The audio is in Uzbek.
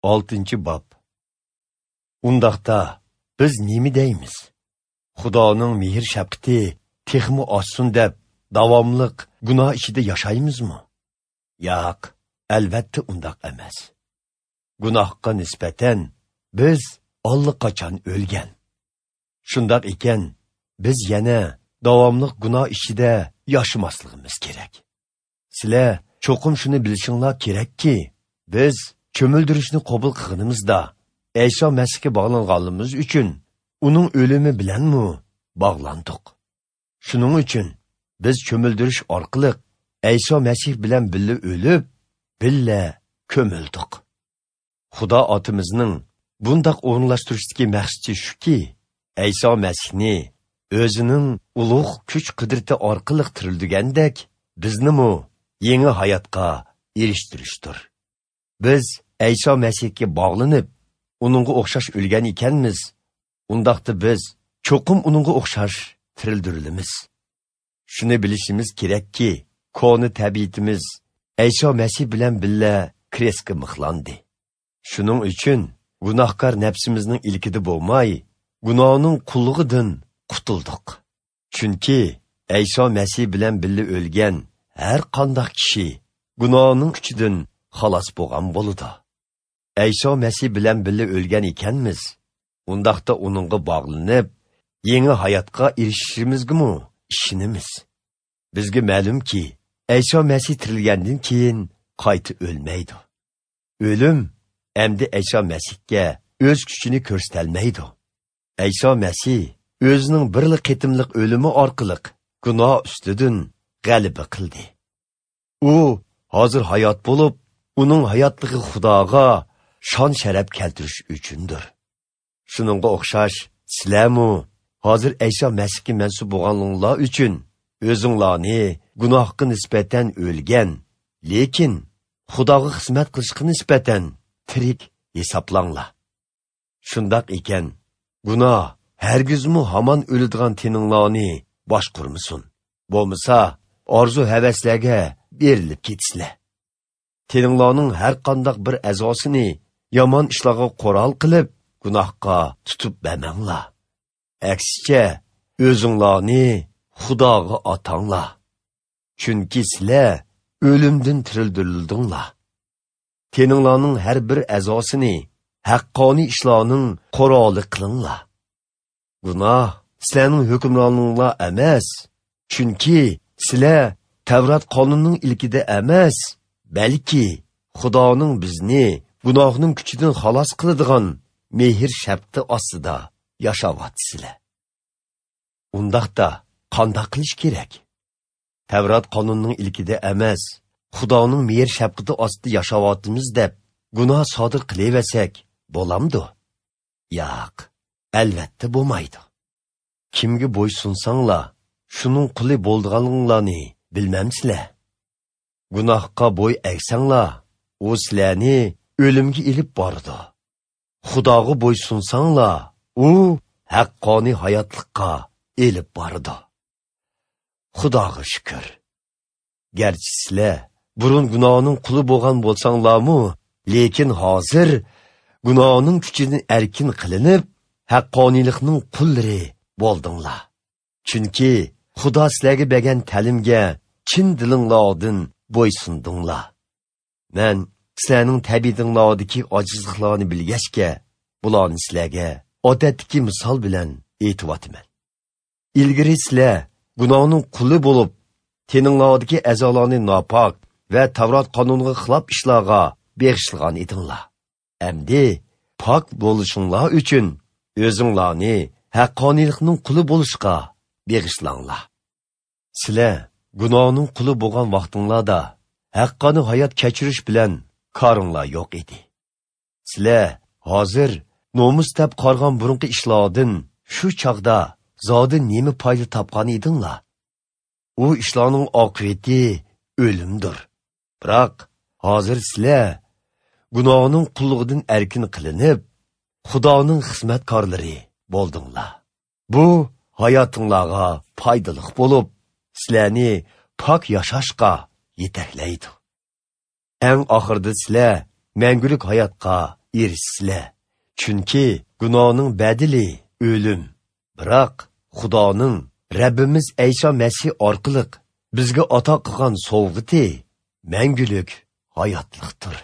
6-bob. Undaqda biz nima deymiz? Xudoning mehr shafqati texmi oshsin deb davomliq gunoh ichida yashaymizmi? Yo'q, albatta undaq emas. Gunohga nisbatan biz allaqachon o'lgan. Shundoq ekan, biz yana davomliq gunoh ichida yashamasligimiz kerak. Sizlar cho'qim shuni bilishinglar kerakki, biz cho'mildirishni qabul qilganimizda Ayso Masihga bog'langanligimiz uchun uning o'limi bilanmi bog'landik. Shuning uchun biz cho'mildirish orqali Ayso Masih bilan birga o'lib, birga ko'mildik. Xudo otimizning bundaq o'rinlashtirishdagi maqsadi shuki, Ayso Masihni o'zining ulug' kuch-qudrati orqali tirildigandek, biznimi yangi hayotga erishtirishdir. Biz Ayso Masihga bog'lanib, uningga o'xshash o'lgan ekanmiz. Undaqda biz cho'qim uningga o'xshash tirildirilamiz. Shuni bilishimiz kerakki, koni tabiatimiz Ayso Masih bilan birga krestga mixlandi. Shuning uchun gunohkor nafsimizning ilkida bo'lmay, gunohning qullig'idan qutuldik. Chunki Ayso Masih bilan birga o'lgan har qanday kishi gunohning kuchidan xalos bo'lgan bo'ladi. Ayso Masih bilan birga o'lgan ekanmiz, undaqda uningga bog'lanib, yangi hayotga erishishimizgami ishonamiz. Bizga ma'lumki, Ayso Masih tirilgandan keyin qayta o'lmaydi. O'lim endi Ayso Masihga o'z kuchini ko'rsatolmaydi. Ayso Masih o'zining birli qitimliq o'limi orqali gunoh ustidan g'alaba qildi. U hozir hayot bo'lib, uning hayotligi Xudoga shon sharaf keltirish uchundir. Shuningga o'xshash sizlarmu hozir Ayso Masihga mansub bo'lganinglar uchun o'zinglarni gunohga nisbatan o'lgan, lekin Xudoga xizmat qilishga nisbatan tirik hisoblanglar. Shundoq ekan, gunoh hargizmi hamon o'ladigan teninglarni boshqurmasin. Bo'lmasa, orzu havaslarga berilib ketsizlar. Teninglarning har qanday bir a'zosini yomon ishlarga qo'ral qilib, gunohga tutib bermanglar. Aksicha, o'zinglarni Xudoga atanglar. Chunki sizlar o'limdan tirildirildinglar. Teninglarning har bir a'zosini haqqoniy ishlarning quroli qilinglar. Gunoh sizlarning hukmroninglar emas, chunki sizlar Tavrat qonunining ilkida emas, balki Xudoning bizni gunohning kuchidan xalos qiladigan mehr shafqati ostida yashayapsizlar. Undaqda qanday qilish kerak? Tavrat qonunining ilkida emas, Xudoning mehr shafqati ostida yashayapmiz deb gunoh sodir qilaversak bo'lamdi? Yo'q, albatta bo'lmaydi. Kimga bo'ysunsanglar, shuning quli bo'lganinglarni bilmamsizlar. Gunohga bo'y egsanglar, u sizlarni o'limga ilib bordi. Xudoga bo'ysunsanglar, u haqqoniy hayotlikqa elib bordi. Xudoga shukr. Garchi sizlar burun gunohning quli bo'lgan bo'lsanglarmu, lekin hozir gunohning kuchidan erkin qilinib, haqqoniylikning qullari bo'ldinglar. Chunki Xudo sizlarga bergan ta'limga chin dilinglardan bo'ysundinglar. Men sizlarning tabiatinglardagi ojizliklarni bilgachga, bularni sizlarga odatdagi misol bilan aytyapman. Ilgari sizlar gunohning quli bo'lib, teninglardagi a'zolarni nopok va Tavrat qonuniga xilof ishlarga bag'ishlagan edinglar. Endi pok bo'lishinglar uchun o'zinglarni haqqoniylikning quli bo'lishga bag'ishlanglar. Sizlar gunohning quli bo'lgan vaqtinglarda haqqoniy hayot kechirish bilan koringlar yo'q edi. Sizlar hozir nomus deb qargan burunqi ishlardan shu chog'da zodi nima foyda topgan edinglar? U ishlarning oqibati o'limdir. Biroq hozir sizlar gunohning qullig'idan erkin qilinib, Xudoning xizmatkorlari bo'ldinglar. Bu hayotinglarga foydali bo'lib, sizlarni pok yashashga yetaklaydi. Eng oxirida sizlar mangulik hayotga erishsizlar. Chunki gunohning badili o'lim. Biroq Xudoning Rabbimiz Ayso Masih orqali bizga ato qilgan sovg'ati mangulik hayotlikdir.